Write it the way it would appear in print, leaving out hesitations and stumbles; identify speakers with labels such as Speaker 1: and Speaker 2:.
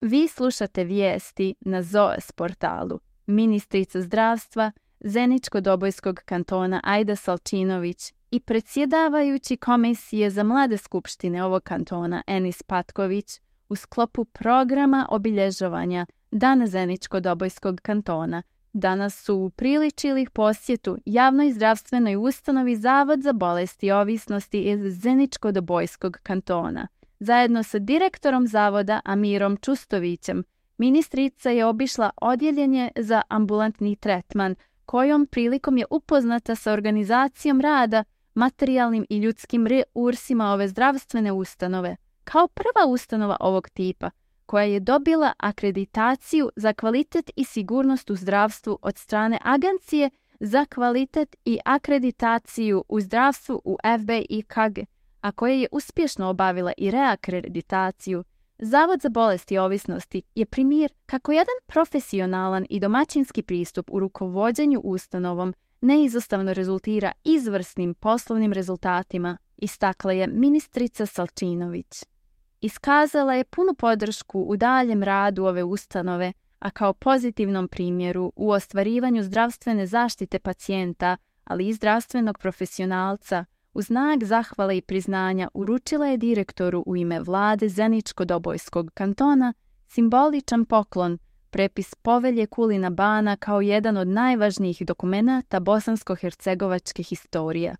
Speaker 1: Vi slušate vijesti na ZOES portalu. Ministrica zdravstva Zeničko-Dobojskog kantona Aida Salčinović i predsjedavajući Komisije za mlade skupštine ovog kantona Enis Patković u sklopu programa obilježavanja Dana Zeničko-Dobojskog kantona danas su upriličili posjetu javnoj zdravstvenoj ustanovi Zavod za bolesti i ovisnosti iz Zeničko-Dobojskog kantona. Zajedno sa direktorom zavoda Amirom Čustovićem, ministrica je obišla odjeljenje za ambulantni tretman, kojom prilikom je upoznata sa organizacijom rada, materijalnim i ljudskim resursima ove zdravstvene ustanove, kao prva ustanova ovog tipa, koja je dobila akreditaciju za kvalitet i sigurnost u zdravstvu od strane Agencije za kvalitet i akreditaciju u zdravstvu u FBIKG, a koja je uspješno obavila i reakreditaciju. Zavod za bolesti i ovisnosti je primjer kako jedan profesionalan i domaćinski pristup u rukovođenju ustanovom neizostavno rezultira izvrsnim poslovnim rezultatima, istakla je ministrica Salčinović. Iskazala je punu podršku u daljem radu ove ustanove, a kao pozitivnom primjeru u ostvarivanju zdravstvene zaštite pacijenta, ali i zdravstvenog profesionalca, u znak zahvale i priznanja uručila je direktoru u ime vlade Zeničko-Dobojskog kantona simboličan poklon, prepis povelje Kulina Bana kao jedan od najvažnijih dokumenata bosansko-hercegovačke historije.